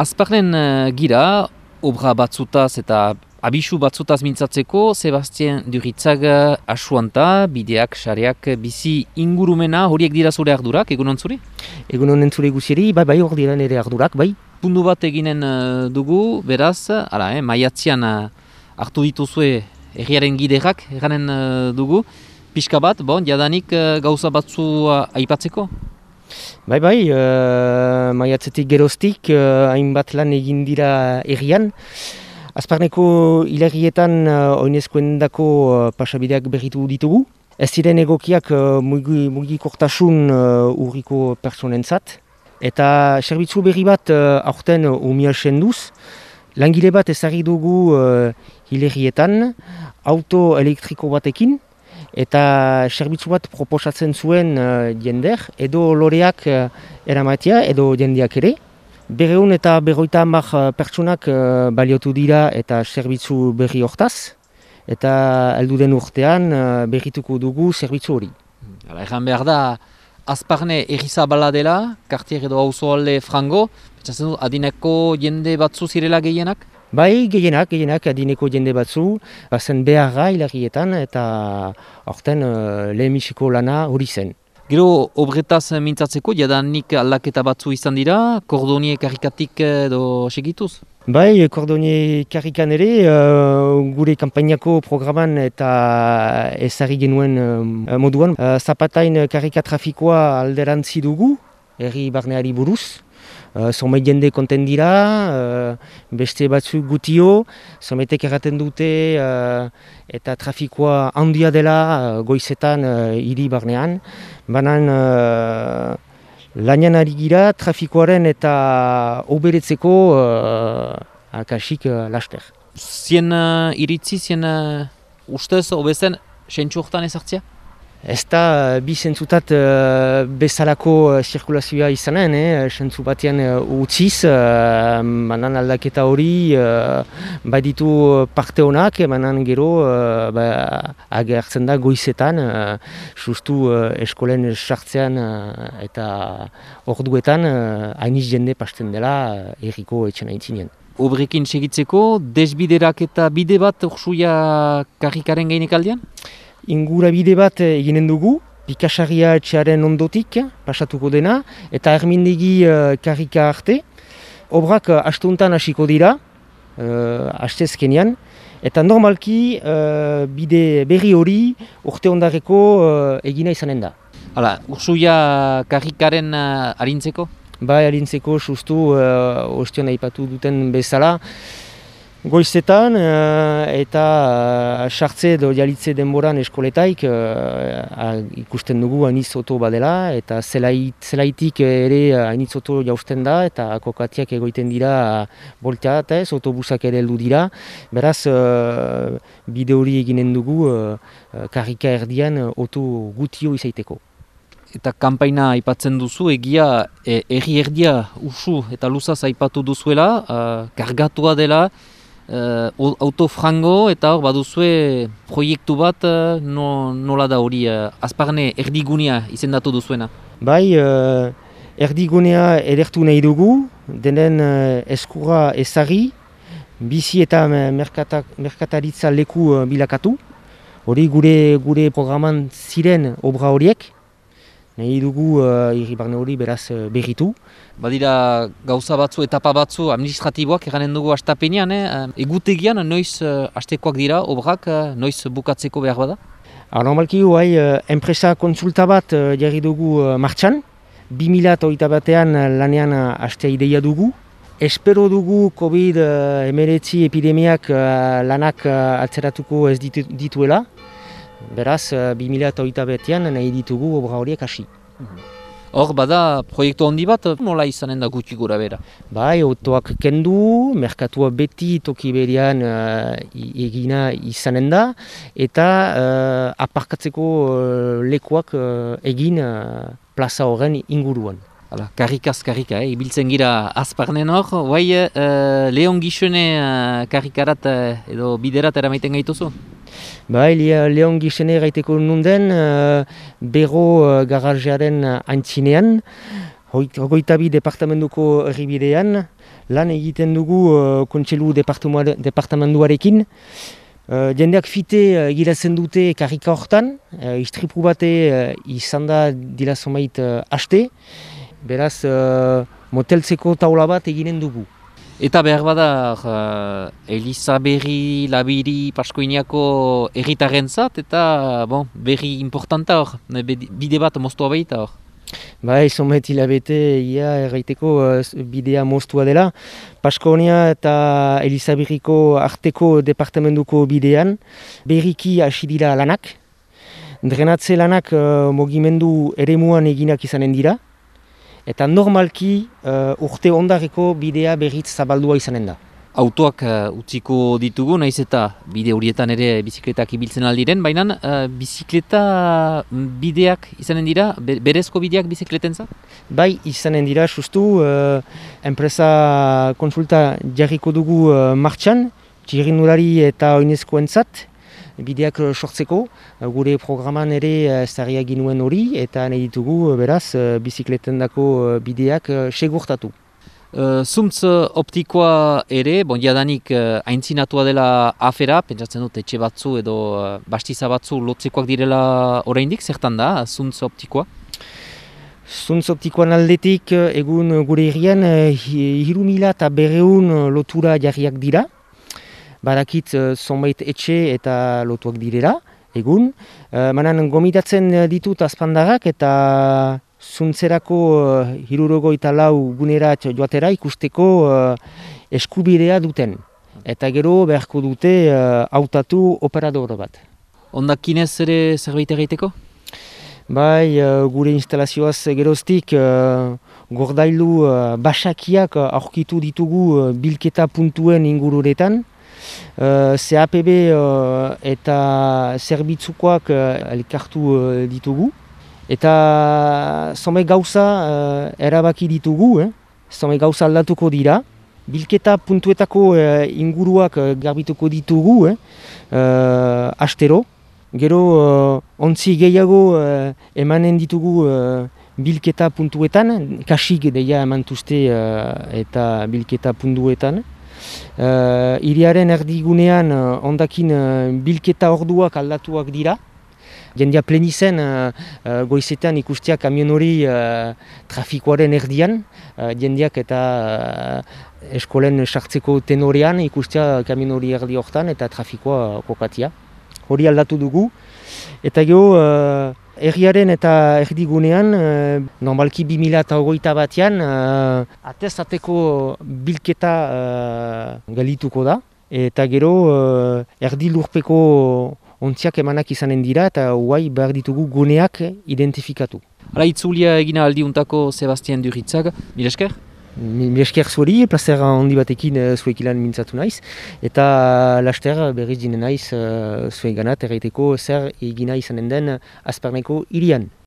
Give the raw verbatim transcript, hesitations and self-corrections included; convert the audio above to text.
Azparnen uh, gira, obra batzutaz eta abisu batzutaz mintzatzeko, Sebastien Duritzag asuanta, bideak, sareak, bizi ingurumena, horiek dira zure ardurak, egunon zuri? Egunon entzure guziri, bai, bai, hor dira nire ardurak, bai. Pundu bat eginen uh, dugu, beraz, ara, eh, maiatzian uh, hartu dituzue herriaren giderak, eranen uh, dugu, pixka bat, bon, jadanik uh, gauza batzu uh, aipatzeko? Bai, bai, uh, maiatzetik geroztik, uh, hainbat lan egin dira herrian. Azparneko hilarrietan uh, oinezkoendako uh, pasabideak berritu ditugu. Ez ziren egokiak uh, mugi, mugikortasun uh, urriko personentzat. Eta zerbitzu berri bat uh, aurten umia senduz. Langile bat ezarri dugu uh, hilarrietan, auto elektriko batekin. Eta zerbitzu bat proposatzen zuen uh, jender, edo loreak uh, eramatea, edo jendeak ere. Berreun eta berroita hamar pertsonak uh, baliotu dira eta zerbitzu berri hortaz. Eta heldu den urtean uh, berrituko dugu zerbitzu hori. Hala, egan behar da, Azparne errizabala dela, kartier edo auzoalde frango, pentsatzen du, adineko jende batzu zirela gehienak? Bai, gehienak, gehienak adineko jende batzu, bazen beharra hilarrietan eta horten uh, lehenbiziko lana hori zen. Gero, obretaz mintzatzeko, jadanik aldaketa batzu izan dira, kordonie karikatik edo segituz? Bai, kordonie karikan ere, uh, gure kanpainako programan eta ezarri genuen uh, moduan. Uh, zapatain karika trafikoa alderantzi dugu, herri barneari buruz. Uh, Zomeit jende konten dira, uh, beste batzuk gutio, zometek erraten dute uh, eta trafikoa handia dela uh, goizetan uh, hiri barnean. Banan uh, lanian ari gira trafikoaren eta oberetzeko uh, akasik uh, laster. Zien uh, iritzi, zien uh, ustez, obezen, sentsu hortan ezartzea? Ez da bi zentzutat uh, bezalako uh, zirkulazioa izanen, eh? Zentzu batean uh, utziz, uh, banan aldaketa hori uh, baditu parte honak, banan gero uh, ba, agertzen da goizetan, uh, justu uh, eskolen sartzean uh, eta orduetan uh, hainiz jende pasten dela uh, erriko etxena itzinien. Obrekin segitzeko, desbiderak eta bide bat ursuia karrikaren gainek aldean? Ingurabide bat eginen dugu, Pikasarria etxearen ondotik pasatuko dena, eta ermindegi uh, karrika arte. Obrak uh, astuntan hasiko dira, uh, astezkenean, eta normalki uh, bide berri hori urte ondareko uh, egina izanen da. Hala, ursuia karrikaren uh, arintzeko? Bai, arintzeko justu uh, ostion aipatu duten bezala. Goizetan uh, eta sartze uh, edo jalitze denboran eskoletaik uh, ikusten dugu hainitz oto badela eta zelait, zelaitik ere hainitz oto jausten da eta kokatiak egoiten dira uh, boltea eta ez, autobusak ere heldu dira. Beraz, uh, bide hori eginen dugu uh, karrika erdian uh, oto gutio izaiteko. Eta kanpaina aipatzen duzu, egia e, erri erdia usu eta luzaz aipatu duzuela, uh, kargatua dela, Uh, autofrango eta hor baduzue proiektu bat uh, no, nola da hori uh, Azparne erdigunea izendatu duzuena? Bai, uh, erdigunea edertu nahi dugu, denen uh, eskura ezari, bizi eta merkata, merkataritza leku uh, bilakatu. Hori gure, gure programan ziren obra horiek, nahi dugu uh, irribarne hori beraz uh, berritu. Badira gauza batzu, etapa batzu, administratiboak eranen dugu astapenean, eh? Egutegian noiz uh, astekoak dira, obrak, uh, noiz bukatzeko behar bada? Ar, normalki guai, uh, enpresa konsulta bat uh, jarri dugu uh, martxan, bi mila hogeita batean uh, lanean uh, astea ideia dugu. Espero dugu covid hemeretzi epidemiak uh, lanak uh, atzeratuko ez ditu, dituela. Beraz, uh, bi mila hogeita batean nahi ditugu obra horiek hasi. Hor, bada, proiektu handi bat, nola izanen da gutxi gura bera? Bai, autoak kendu, merkatua beti toki berean uh, egina izanen da, eta uh, aparkatzeko uh, lekuak uh, egin uh, plaza horren inguruan. Hala, karrikaz karrika, eh? Ibiltzen gira Azparnen hor, guai uh, Leon Gixene uh, karrikarat uh, edo biderat eramaiten gaituzu? Bai, Leon Gixene gaiteko nunden, uh, Bero uh, garajearen uh, antzinean, hogeita bi departamentuko herribidean, lan egiten dugu uh, kontseilu departamentuarekin. Uh, jendeak fite uh, egiratzen dute karrika hortan, uh, istripu bate uh, izan da dira zomait uh, haste, beraz uh, moteltzeko taula bat eginen dugu. Eta behar bada, uh, Eliza berri, labiri, Paskoiniako erritarrentzat eta bon, berri importanta hor, bide bat moztua baita hor. Bai, zomet hilabete ia erraiteko uh, bidea moztua dela. Paskonia eta Elizabirriko arteko departamentuko bidean berriki hasi dira lanak. Drenatze lanak uh, mugimendu eremuan eginak izanen dira. Eta normalki uh, urte ondareko bidea berriz zabaldua izanen da. Autoak uh, utziko ditugu, naiz eta bide horietan ere bizikletak ibiltzen aldiren, baina uh, bizikleta bideak izanen dira, berezko bideak bizikletentzat? Bai, izanen dira, sustu, uh, enpresa konsulta jarriko dugu uh, martxan, txirrindulari eta oinezkoentzat, bideak sortzeko, gure programan ere ezarriak ginuen hori, eta nahi ditugu, beraz, bizikletendako bideak segurtatu. Uh, Zuntz optikoa ere, bon, jadanik uh, aintzinatua dela afera, pentsatzen dut etxe batzu edo uh, bastiza batzu lotzekoak direla oraindik, zertan da, zuntz optikoa? Zuntz optikoan aldetik, egun gure herrian, hiru mila eta berreun lotura jarriak dira. Badakit zonbait etxe eta lotuak direla, egun. Uh, manan gomidatzen ditut azpandarrak eta zuntzerako uh, hirurogeita lau gunerat joatera ikusteko uh, eskubidea duten. Eta gero beharko dute uh, hautatu operador bat. Ondakinez ere zerbait egiteko? Bai, uh, gure instalazioaz geroztik uh, gordailu uh, basakiak aurkitu ditugu uh, bilketa puntuen ingururetan. Uh, C A P B uh, eta zerbitzukoak uh, elkartu uh, ditugu. Eta zonbait gauza uh, erabaki ditugu, eh? zonbait gauza aldatuko dira. Bilketa puntuetako uh, inguruak uh, garbituko ditugu, eh? uh, astero. Gero uh, ontzi gehiago uh, emanen ditugu uh, bilketa puntuetan, kasik deia emantuzte uh, eta bilketa puntuetan. Uh, iriaren erdigunean uh, ondakin uh, bilketa orduak aldatuak dira. Jendia plenizen uh, uh, goizetan ikustea kamion hori uh, trafikoaren erdian. Uh, jendiak eta uh, eskolen sartzeko tenorean ikustea kamion hori erdi hortan eta trafikoa kokatia. Hori aldatu dugu. Eta gero uh, erriaren eta erdigunean, uh, normalki bi mila hogeita batean, uh, atez-ateko bilketa uh, galituko da. Eta gero uh, erdi lurpeko ontziak emanak izanen dira eta guai behar ditugu guneak identifikatu. Hala, itzulia egina aldiuntako Sebastian Duritzak, mil esker? Mil esker zuari, plazer handi batekin zuek ilan mintzatu naiz. Eta laster berriz dinen naiz zuek ganat erraiteko zer egina izanen den Azparneko hirian.